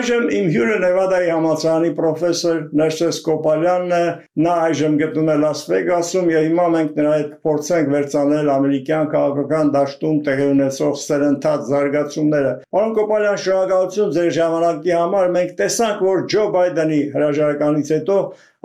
Այժմ իմ հյուրը Նևադայի համալսարանի պրոֆեսոր Ներսես Կոպալյանն է, նա այժմ գտնվում է Լաս Վեգասում եւ հիմա մենք նրա հետ փորձենք վերցնել ամերիկյան քաղաքական դաշտում տեղի ունեցող սերընթաց զարգացումները։ Պարոն Կոպալյան, շնորհակալություն ձեր ժամանակի համար։ Մենք տեսանք, որ Ջո Բայդենի հրաժարականից հետո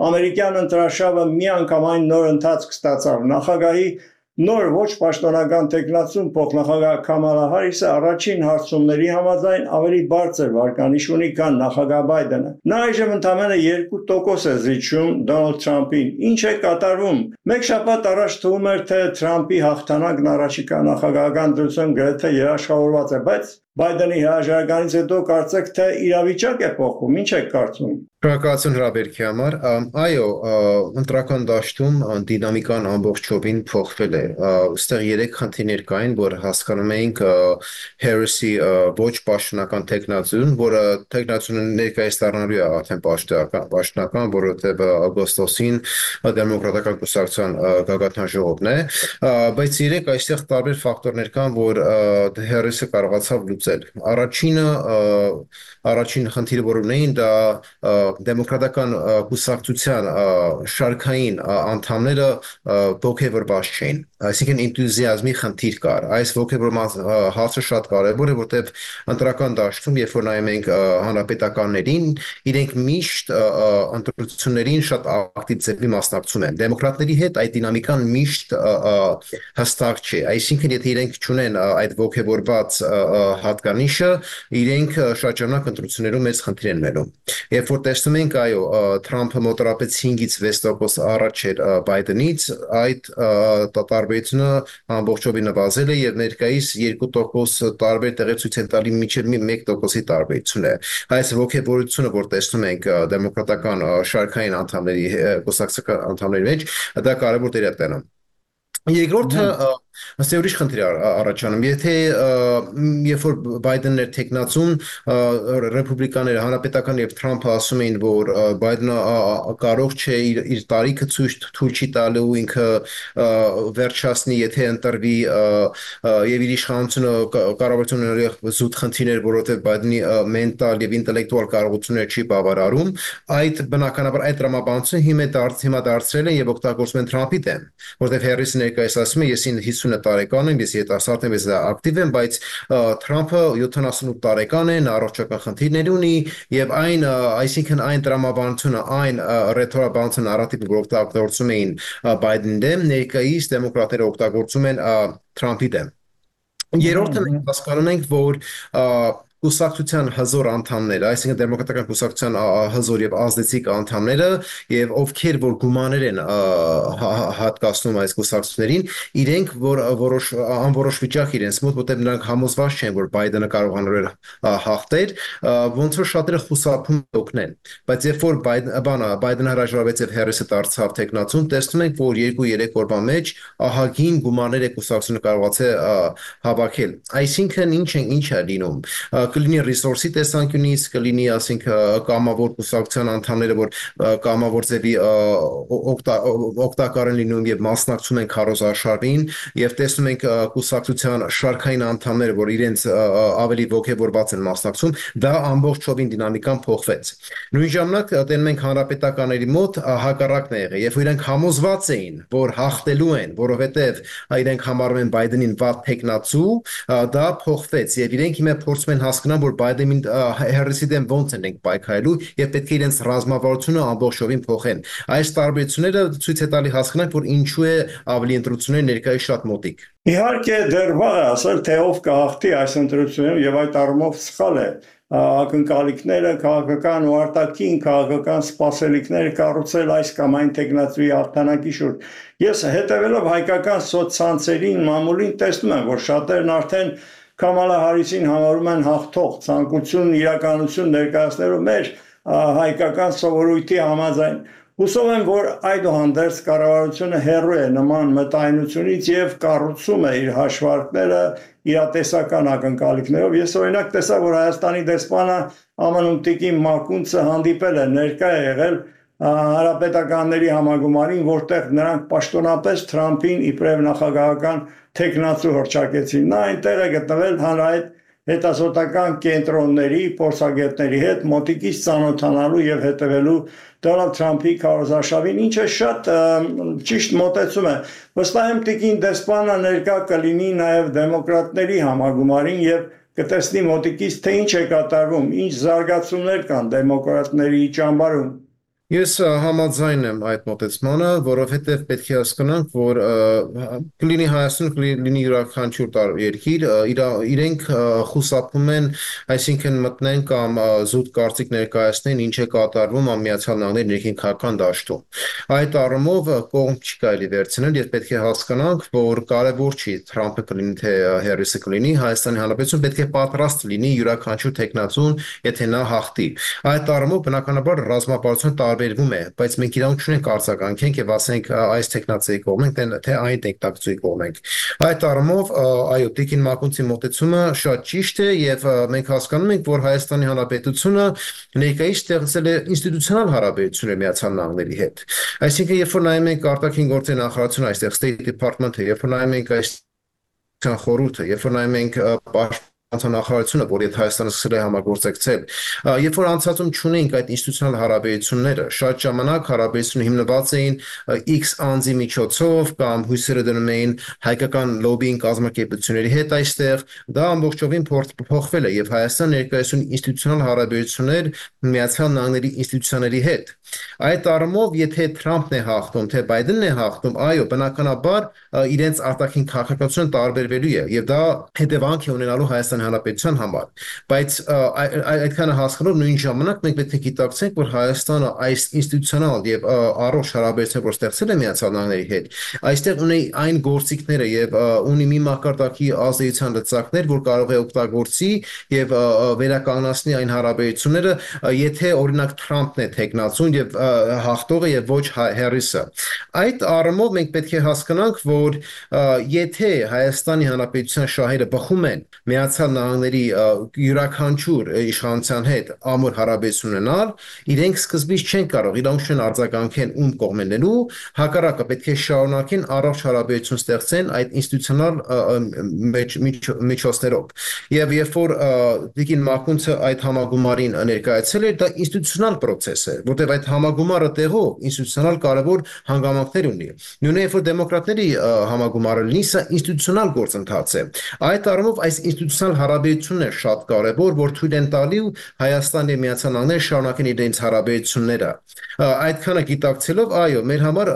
ամերիկյան ընտրաշավը միանգամայն նոր ընթացք ստացավ։ Նախագահի նոր ոչ պաշտոնական տեխնացուն փոխնախագահ Քամալա Հարիսը առաջին հարցումների համաձայն ավելի բարձր վարկանիշ ունի, քան նախագահ Բայդենը։ Նա այժմ ընդամենը 2% է զիջում Դոնալդ Թրամփին։ Ինչ է կատարվում։ Մեկ շաբաթ առաջ թվում էր, թե Թրամփի հաղթանակն առաջիկա նախագահական դրությամբ գրեթե երաշխավորված է, բայց Բայդենի հրաժարականից հետո կարծեք թե իրավիճակ է փոխվում։ Ինչ եք կարծում։ Շնորհակալություն հրավերքի համար։ Այո, ընտրական դաշտում դինամիկան ամբողջովին փոխվել է։ Այստեղ երեք խնդիրներ կային, որ հասկանում էինք Հարիսի ոչ պաշտոնական տեխնացուն, որը տեխնացունը ներկայիս դառնալու է արդեն պաշտոնական, որովհետև օգոստոսին դեմոկրատական կուսակցության գագաթնաժողովն է, բայց երեք այստեղ տարբեր ֆակտորներ կան, որ Հարիսը կարողացավ լուծել։ Առաջին խնդիրը, որ ունեին, դա դեմոկրատական կուսակցության շարքային անդամները ոգևորված չէին, այսինքն энտուզիազմի խնդիր կար։ Այս ոգևորման հարցը շատ կարևոր է, որտեղ ընտրական դաշտում, երբ որ նայում ենք հանրապետականներին, իրենք միշտ ընտրություններին շատ ակտիվ ձևի մասնակցում են։ Դեմոկրատների հետ այդ դինամիկան միշտ հստակ չէ, այսինքն եթե իրենք չունեն այդ ոգևորված հատկանիշը, իրենք շրջանակ ընտրություններում մեծ խնդիր են ունենում։ Երբ որ տեսնում ենք, այո, Թրամփը մոտավորապես 5-ից 6% առաջ էր Բայդենից, այդ տարբերությունը ամբողջովին նվազել է եւ ներկայիս 2% տարբեր տեղեր ցույց են տալի մինչեւ 1%-ի տարբերություն է։ Այս ոգևորությունը, որ տեսնում ենք դեմոկրատական շարքային անդամների, կուսակցական անդամների մեջ, դա կարևոր դեր է տանում։ Երկրորդը ըստ ուրիշ խնդիր առաջանում, եթե երբ որ Բայդենն էր տեխնացուն, ռեպուբլիկաները, հանրապետական եւ Թրամփը ասում էին, որ Բայդենը կարող չէ իր տարիքը թույլ չի տալու, ինքը վերջացնի, եթե ընտրվի եւ իր իշխանությունը կառավարություն ունենալու զուտ խնդիրներ, որովհետեւ Բայդենի մենտալ եւ ինտելեկտուալ կարողությունները չի բավարարում, այդ բնականաբար այդ տրամաբանությունը հիմա դարձրել են եւ օգտագործում են Թրամփի դեմ, որովհետեւ Հարիսը ներկայիս ասում է, ես 50 տարեկան եմ, ես երիտասարդ եմ, ես ակտիվ եմ, բայց Թրամփը 78 տարեկան է, նա առողջական խնդիրներ ունի եւ այսինքն այն տրամաբանությունը, այն ռեթորաբանությունը նարատիվը, որ օգտագործում էին Բայդենի դեմ, ներկայիս դեմոկրատները օգտագործում են Թրամփի դեմ։ Երրորդը մենք հասկանում ենք, որ կուսակցության հզոր անդամները, այսինքն դեմոկրատական կուսակցության հզոր եւ ազդեցիկ անդամները եւ ովքեր որ գումաներ են հատկացնում այս կուսակցություններին, իրենք որ անորոշ վիճակ իրենց մոտ, որտեղ նրանք համոզված չեն, որ Բայդենը կարողանալու է հաղթել, ոնց որ շատերը խուսափում օգնեն։ Բայց երբ որ Բայդենը հրաժարվեց եւ Հարիսը դարձավ տեխնացուն, տեսնում ենք, որ 2-3 օրվա մեջ ահագին գումաներ է կուսակցությունը կարողացել հավաքել։ Այսինքն ինչ է լինում։ Կլինի ռեսուրսի տեսանկյունից, կլինի, ասենք, կամավոր կուսակցության անդամները, որ կամավոր ձևի օգտակար են լինում եւ մասնակցում են քարոզարշավին, եւ տեսնում ենք կուսակցության շարքային անդամները, որ իրենց ավելի ոգևորված են մասնակցում, դա ամբողջովին դինամիկան փոխվեց։ Նույն ժամանակ տենում ենք հանրապետականների մոտ հակառակն է եղել, եւ իրենք համոզված էին, որ հաղթելու են, որովհետեւ իրենք համարում են Բայդենին վատ տեխնացու, դա փոխվեց եւ իրենք հիմա փորձում են հասկանալ, որ Բայդենին Հարիսի դեմ ոնց են պայքարելու եւ պետք է իրենց ռազմավարությունը ամբողջովին փոխեն։ Այս տարբերությունները ցույց է տալի հասկանալ, որ ինչու է ավելի ընտրությունները ներկայիս շատ մոտիկ։ Իհարկե դեռ վաղ է ասել, թե ով կհաղթի այս ընտրություններում եւ այդ առումով սխալ է ակնկալիքները քաղաքական ու արտաքին քաղաքական սպասելիքները կառուցել այս կամ այն տեխնացուի հաղթանակի շուրջ։ Ես հետևելով հայկական սոցցանցերին մամուլին տեսնում եմ, որ շատերն արդեն Քամալա Հարիսին համարում են հաղթող, ցանկություն իրականություն ներկայացնելով մեր հայկական սովորույթի համաձայն։ Հուսով եմ, որ այդուհանդերձ կառավարությունը հեռու է նման մտայնությունից եւ կառուցում է իր հաշվարկները իրատեսական ակնկալիքներով։ Ես օրինակ տեսա, որ Հայաստանի դեսպանը ԱՄՆ-ում Տիկին Մակունցը հանդիպել է, ներկա է եղել հանրապետականների համագումարին, որտեղ նրանք պաշտոնապես Թրամփին իբրև նախագահական տեխնացու հռչակեցին։ Նա այնտեղ է գտնվել հանրահայտ հետազոտական կենտրոնների, փորձագետների հետ մոտիկից ծանոթանալու եւ հետևելու Դոնալդ Թրամփի քարոզարշավին, ինչը շատ ճիշտ մոտեցում է։ Վստահ եմ տիկին դեսպանը ներկա կլինի նաև դեմոկրատների համագումարին եւ կտեսնի մոտիկից թե ինչ է կատարվում, ինչ զարգացումներ կան դեմոկրատների ճամբարում։ Ես համաձայն եմ այդ մոտեցմանը, որովհետև պետք է հասկանանք, որ կլինի Հայաստան, կլինի յուրաքանչյուր երկիր, իրենք խուսափում են, այսինքն մտնեն կամ զուտ կարծիք ներկայացնեն, ինչ է կատարվում Միացյալ Նահանգների ներքին քաղաքական դաշտում։ Այդ առումով կողմ չի կարելի վերցնել եւ պետք է հասկանանք, որ կարևոր չի Թրամփը կլինի թե Հարիսը կլինի, Հայաստանի Հանրապետություն պետք է պատրաստ լինի յուրաքանչյուր տեխնացուն, եթե նա հաղթի։ Այդ առումով բնականաբար ռազմապարծությունը տարբերվում է, բայց մենք իրավունք չունենք արձագանքենք եւ ասենք այս տեխնացիայի կողմ ենք, թե այն տեխնացիայի կողմ ենք։ Այդ առումով, այո, Տիկին Մակունցի մոտեցումը շատ ճիշտ է եւ մենք հասկանում ենք, որ Հայաստանի Հանրապետությունը ներկայիս ստեղծել է ինստիտուցիոնալ հարաբերություններ Միացյալ Նահանգների հետ։ Այսինքն, երբ որ նայում ենք արտաքին գործերի նախարարությունը, այստեղ State Department-ը, երբ որ նայում ենք այս խորհուրդը, երբ որ նայում ենք նախարարությունը, որ եթե Հայաստանը սկսել է համագործակցել, երբ որ անցածում չունենք այդ ինստիտուցիոնալ հարաբերությունները, շատ ժամանակ հարաբերությունը հիմնված էին X անձի միջոցով կամ հույսերը դնում էին հայկական լոբբինգ կազմակերպությունների հետ այստեղ, դա ամբողջովին փոխվել է եւ Հայաստան ներկայացնում ինստիտուցիոնալ հարաբերություններ Միացյալ Նահանգների ինստիտուցիաների հետ։ Այդ առումով, եթե Թրամփն է հաղթում, թե Բայդենն է հաղթում, այո, բնականաբար իրենց արտաքին քաղաքականությունը տարբերվելու է եւ դա հետևանք է ունենալու Հայաստանի Հանրապետության համար, բայց այդքանը հասկանալով նույն ժամանակ մենք պետք է գիտակցենք, որ Հայաստանը այս ինստիտուցիոնալ եւ առողջ հարաբերությունները, որ ստեղծել է Միացյալ Նահանգների հետ, այստեղ ունի այն գործիքները եւ ունի մի մակարդակի ազդեցության լծակներ, որ կարող է օգտագործի եւ վերականգնացնի այն հարաբերությունները, եթե օրինակ Թրամփն է տեխնացուն եւ հաղթողը եւ ոչ Հարիսը։ Այդ առումով մենք պետք է հասկանանք, որ եթե Հայաստանի Հանրապետության շահերը բխում են Միացյալ Նահանգների յուրաքանչյուր իշխանության հետ ամուր հարաբերություն ունենալ, իրենք սկզբից չեն կարող, իրենք չեն արձագանքեն ում կողմենելու, հակառակը պետք է շարունակեն առողջ հարաբերություն ստեղծեն այդ ինստիտուցիոնալ միջոցներով։ Եվ երբ որ Տիկին Մակունցը այդ համագումարին ներկայացել էր, դա ինստիտուցիոնալ process է, որտեղ այդ համագումարը տեղով ինստիտուցիոնալ կարևոր հանգամանքներ ունի։ Նույնիսկ երբ որ դեմոկրատների համագումարը լինի, սա ինստիտուցիոնալ գործընթաց է։ Այդ առումով այս ինստիտուցիոնալ հարաբերությունն է շատ կարևոր, որ թույլ են տալի Հայաստանի եւ Միացյալ Նահանգները շարունակեն իրենց հարաբերությունները։ Այդքանը գիտակցելով, այո, մեր համար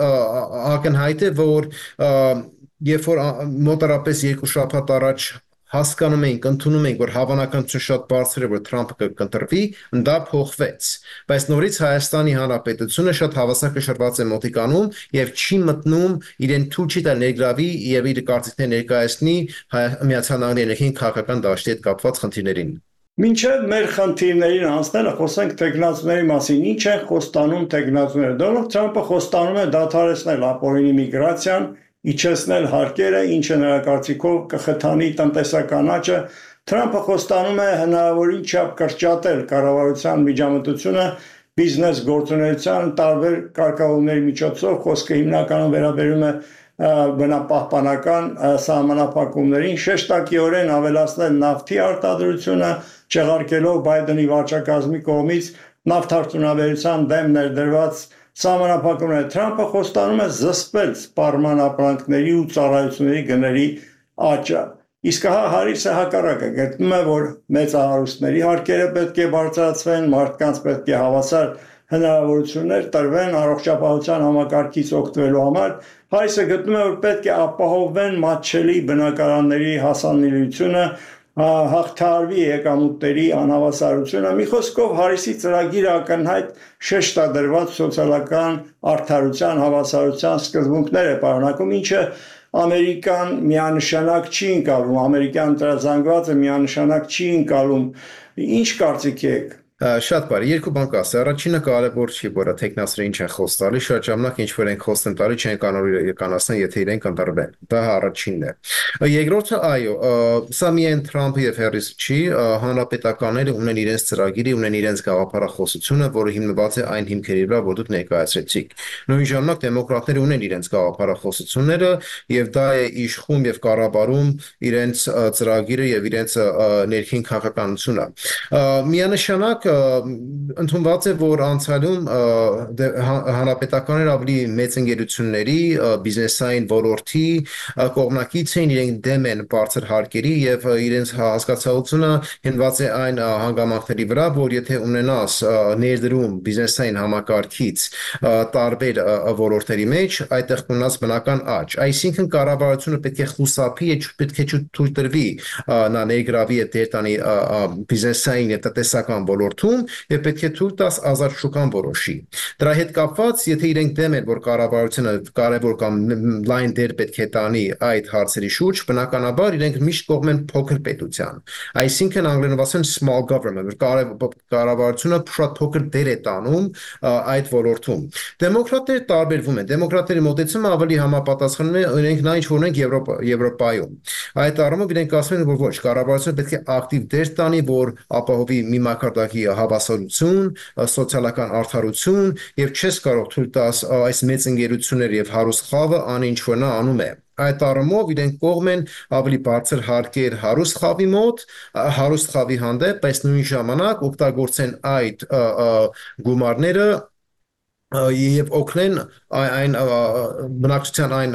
ակնհայտ է, որ երբ որ մոտարապես 2 շաբաթ առաջ հասկանում ենք, ընդունում ենք, որ հավանականությունը շատ բարձր է, որ Թրամփը կընտրվի, դա փոխվեց։ Բայց նորից Հայաստանի Հանրապետությունը շատ հավասարակշռված է մոտիկանում եւ չի մտնում իրեն թույլ չի տալ ներգրավի եւ իր կարծիքները ներկայացնի Միացյալ Նահանգների ներքին քաղաքական դաշտի հետ կապված խնդիրներին։ Մինչև մեր խնդիրներին անցնելը խոսենք տեխնացուների մասին։ Ինչ են խոստանում տեխնացուները։ Դոնալդ Թրամփը խոստանում է դադարեցնել ապօրինի միգրացիան, իջեցնել հարկերը, ինչը նրա կարծիքով կխթանի տնտեսական աճը։ Թրամփը խոստանում է հնարավորին չափ կրճատել կառավարության միջամտությունը բիզնես գործունեության տարբեր կարգավորումների միջոցով, խոսքը հիմնականում վերաբերում է բնապահպանական սահմանափակումներին, շեշտակիորեն ավելացնել նավթի արտադրությունը, չեղարկելով Բայդենի վարչակազմի կողմից նավթարդյունաբերության դեմ ներդրված սահմանափակումները։ Թրամփը խոստանում է զսպել սպառման ապրանքների ու ծառայությունների գների աճը։ Իսկ Հարիսը հակառակը գտնում է, որ մեծահարուստների հարկերը պետք է բարձրացվեն, մարդկանց պետք է հավասար հնարավորություններ տրվեն առողջապահության համակարգից օգտվելու համար։ Հարիսը գտնում է, որ պետք է ապահովեն մատչելի բնակարանների հասանելիությունը, հաղթահարվի եկամուտների անհավասարությունը։ Մի խոսքով Հարիսի ծրագիրը ակնհայտ շեշտադրված սոցիալական արդարության, հավասարության սկզբունքներ է պարունակում, ինչը Ամերիկան միանշանակ չի ընկալում, ամերիկյան տրազանգվածը միանշանակ չի ընկալում։ Ինչ կարծիք եք։ Շատ բարի, երկու բան կասի։ Առաջինը կարևոր չի, որ տեխնասերը ինչ են խոս տալի, շատ ժամանակ ինչ որ են խոս տալի, չեն կանոնական, եթե իրենք ընտրվեն։ Դա առաջինն է։ Երկրորդը, այո, սա միայն Թրամփը եւ Հարիսը չի, հանրապետականները ունեն իրենց ծրագիրը, ունեն իրենց գաղափարախոսությունը, որը հիմնված է այն հիմքերի վրա, որ դուք ներկայացրեցիք։ Նույն ժամանակ դեմոկրատները ունեն իրենց գաղափարախոսությունները եւ դա է իշխում եւ կառավարում իրենց ծրագիրը եւ իրենց ներքին քաղաքականությունը։ Միանշանակ ընդունված է, որ անցյալում հանրապետականները ավելի մեծ ընկերությունների, բիզնեսային ոլորտի կողմնակից էին, իրենք դեմ են բարձր հարկերի եւ իրենց հասկացությունը հիմնված է այն հանգամանքների վրա, որ եթե ունենաս ներդրում բիզնեսային համակարգից տարբեր ոլորտների մեջ, այդտեղ կունենաս բնական աճ։ Այսինքն կառավարությունը պետք է խուսափի, պետք է թույլ տրվի նա ներգրավի դեր տանի բիզնեսային եւ տնտեսական ոլորտում եւ պետք է թույլ տաս ազատ շուկան որոշի։ Դրա հետ կապված, եթե իրենք դեմ են, որ կառավարությունը կարևոր կամ լայն դեր պետք է տանի այդ հարցերի շուրջ, բնականաբար իրենք միշտ կողմ են փոքր պետության։ Այսինքն անգլերենով ասեն small government, կառավարությունը շատ փոքր դեր է տանում այդ ոլորտում։ Դեմոկրատները տարբերվում են։ Դեմոկրատների մոտեցումը ավելի համապատասխանում է իրենք նա ինչ որ ունենք Եվրոպայում։ Այդ առումով իրենք ասում են, որ ոչ, կառավարությունը պետք է ակտիվ դեր տանի, որ ապահովի մի մակարդակի հավասարություն, սոցիալական արդարություն եւ չես կարող թույլ տաս այս մեծ ընկերությունները եւ հարուստ խավը անի ինչ որ նա անում է։ Այդ առումով իրենք կողմ են ավելի բարձր հարկեր հարուստ խավի մոտ, հարուստ խավի հանդեպ, բայց նույն ժամանակ օգտագործեն այդ գումարները եւ օգնեն այն բնակչության այն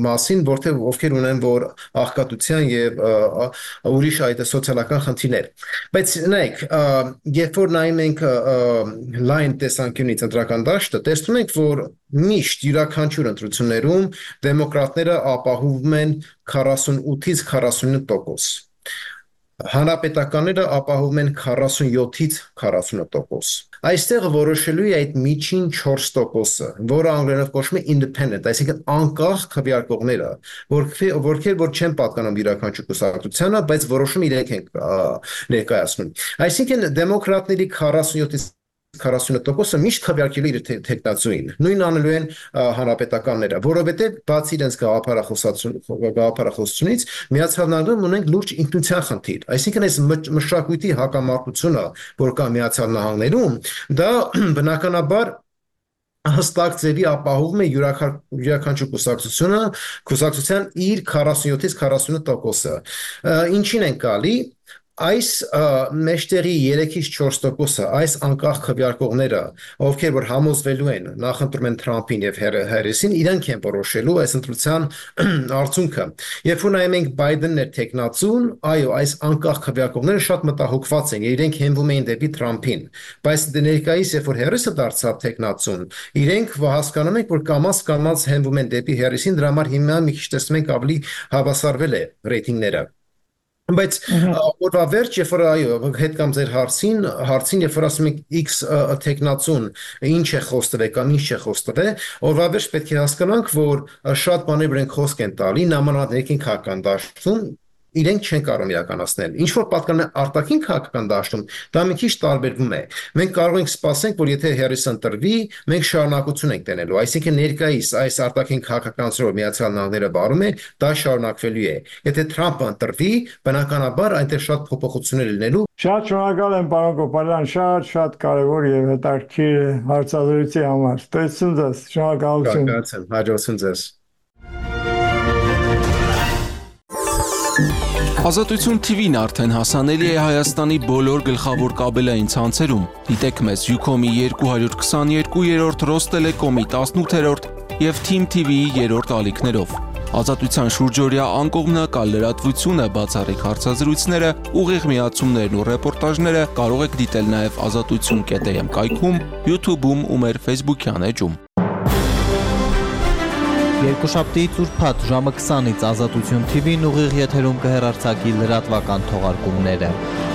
մասին, որտեղ ովքեր ունեն որ աղքատության եւ ուրիշ այդ սոցիալական խնդիրներ։ Բայց նայեք, երբ որ նայում ենք լայն տեսանկյունից ընտրական դաշտը, տեսնում ենք, որ միշտ յուրաքանչյուր ընտրություններում դեմոկրատները ապահովում են 48-ից 49%։ Հանրապետականները ապահովում են 47-ից 40%։ Այստեղ որոշելու է այդ միջին 4%-ը, որը անգլերենով կոչվում է independent, այսինքն անկախ քվեարկողները, որքեր որ չեն պատկանում յուրաքանչյուր կուսակցությանը, բայց որոշում իրենք են ներկայացնում։ Այսինքն դեմոկրատների 47-ից 40%-ը միշտ քվեարկելու իր տեխնացուին։ Նույն անելու են հանրապետականները, որովհետև բացի իրենց գաղափարախոսությունից Միացյալ Նահանգներում ունենք լուրջ ինքնության խնդիր։ Այսինքն այս մշակույթի հակամարտությունը, որ կա Միացյալ Նահանգներում, դա բնականաբար հստակ ձևի ապահովում է յուրաքանչյուր կուսակցության իր 47-ից 49%-ը։ Ինչին են գալի այս մեջտեղի 3-ից 4%-ը, այս անկախ քվեարկողները, ովքեր որ համոզվելու են, նախընտրում են Թրամփին եւ Հարիսին, իրենք են որոշելու այս ընտրության արդյունքը։ Երբ որ նայում ենք Բայդենն էր տեխնացուն, այո, այս անկախ քվեարկողները շատ մտահոգված են, իրենք հենվում էին դեպի Թրամփին։ Բայց ներկայիս, երբ որ Հարիսը դարձավ տեխնացուն, իրենք հասկանում են, որ կամաց հենվում են դեպի Հարիսին, դրա համար հիմա մի քիչ տեսնում ենք ավելի հավասարվել է ռեյտինգները։ Բայց օրվա վերջ, երբ որ այո, հետ կամ ձեր հարցին, երբ որ ասում եք X տեխնացուն, ինչ է խոստվել կամ ինչ չէ խոստվել, օրվա վերջ պետք է հասկանանք, որ շատ բաներ ենք խոսք են տալի, նամանավանդ ներքին քաղաքական դաշտում իրենք չեն կարող իրականացնել։ Ինչ որ պատկանում է արտաքին քաղաքական դաշտում, դա մի քիչ տարբերվում է։ Մենք կարող ենք սպասենք, որ եթե Հարիսը ընտրվի, մենք շարունակություն ենք տենելու։ Այսինքն ներկայիս այս արտաքին քաղաքականացումը Միացյալ Նահանգները բարում է, դա շարունակվելու է։ Եթե Թրամփը ընտրվի, բնականաբար այնտեղ շատ փոփոխություններ լինելու։ Շատ շնորհակալ եմ պարոն Կոպալյան, շատ կարևոր եւ հետաքրքիր հարցազրույցի համար։ Ստեցություն ձեզ, շնորհակալություն։ Հաջողություն ձեզ։ Ազատություն TV-ն արդեն հասանելի է Հայաստանի բոլոր գլխավոր կաբելային ցանցերում։ Դիտեք մեզ Ucom-ի 222-րդ, Ռոստելեկոմի 18-րդ եւ Team TV-ի 3-րդ ալիքներով։ Ազատության շուրջօրյա անկողմնակալ լրատվությունը, բացառիկ հարցազրույցները, ուղիղ միացումներն ու ռեպորտաժները կարող եք դիտել նաեւ azatutsun.am կայքում, YouTube-ում ու մեր Facebook-յան էջում։ Երկուշաբթիից ուրբաթ ժամը 20-ից Ազատություն TV-ն ուղիղ եթերում կհեռարձակի լրատվական թողարկումները։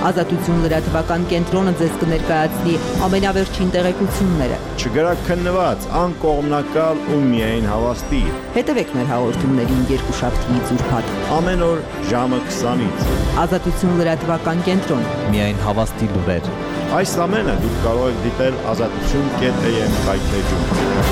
Ազատություն լրատվական կենտրոնը ձեզ կներկայացնի ամենավերջին տեղեկությունները։ Չգրակ քննված, անկողմնակալ ու միայն հավաստի։ Հետևեք մեր հաղորդումներին երկուշաբթիից ուրբաթ։ Ամեն օր ժամը 20-ից։ Ազատություն լրատվական կենտրոն։ Միայն հավաստի լուրեր։ Այս ամենը դուք կարող եք դիտել azatutsun.am կայքէջում։